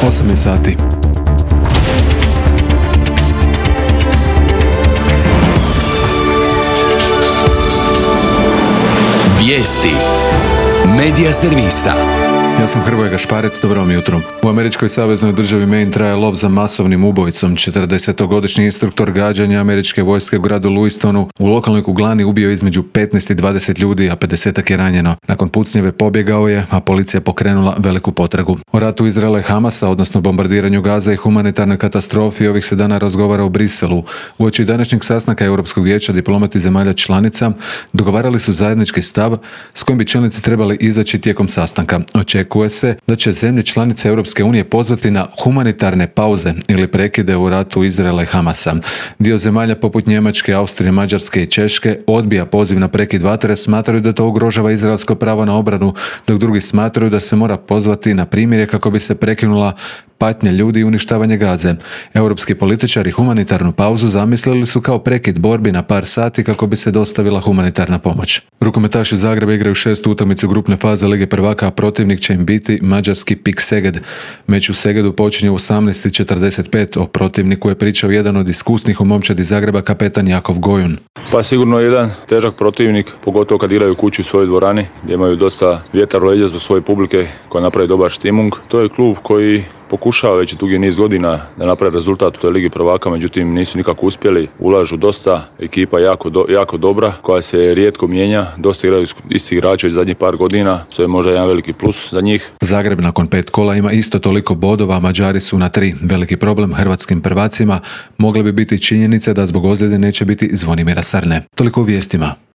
8 sati. Vijesti Medija servisa. Ja sam Hrvoje Gašparec, dobro vam jutro. U američkoj saveznoj državi Maine traje lov za masovnim ubojicom. 40-godišnji instruktor gađanja američke vojske u gradu Louistonu u lokalnoj kuglani ubio između 15 i 20 ljudi, a 50-ak je ranjeno. Nakon pucnjeve pobjegao je, a policija pokrenula veliku potragu. O ratu Izraela i Hamasa, odnosno bombardiranju Gaze i humanitarnoj katastrofi, ovih se dana razgovara u Briselu. Uoči današnjeg sastanka Europskog vijeća diplomati zemalja članica dogovarali su zajednički stav s kojim bi čelnici trebali izaći tijekom sastanka. Očekuje se da će zemlje članice Europske unije pozvati na humanitarne pauze ili prekide u ratu Izraela i Hamasa. Dio zemalja poput Njemačke, Austrije, Mađarske i Češke odbija poziv na prekid vatre, smatraju da to ugrožava izraelsko pravo na obranu, dok drugi smatraju da se mora pozvati na primirje kako bi se prekinula patnja ljudi i uništavanje Gaze. Europski političari humanitarnu pauzu zamislili su kao prekid borbi na par sati kako bi se dostavila humanitarna pomoć. Rukometaši Zagreba igraju 6. utakmicu grupne faze Lige prvaka, a protivnik će im biti mađarski PIK Szeged. Meč u Segedu počinje u 18:45. O protivniku je pričao jedan od iskusnih u momčadi Zagreba, kapetan Jakov Gojun. Pa sigurno jedan težak protivnik, pogotovo kad igraju kući u svojoj dvorani, gdje imaju dosta vjetar u leđa zbog svoje publike koja napravi dobar štimung. To je klub koji pokušava već dugi niz godina da napravi rezultat u toj Ligi prvaka, međutim nisu nikako uspjeli, ulažu dosta, ekipa jako dobra, koja se rijetko mijenja, dosta igraju isti igrači zadnjih par godina, što je možda jedan veliki plus za njih. Zagreb nakon 5 kola ima isto toliko bodova, Mađari su na 3. Veliki problem hrvatskim prvacima mogle bi biti činjenice da zbog ozljede neće biti Zvonimira Sarne. Toliko u vijestima.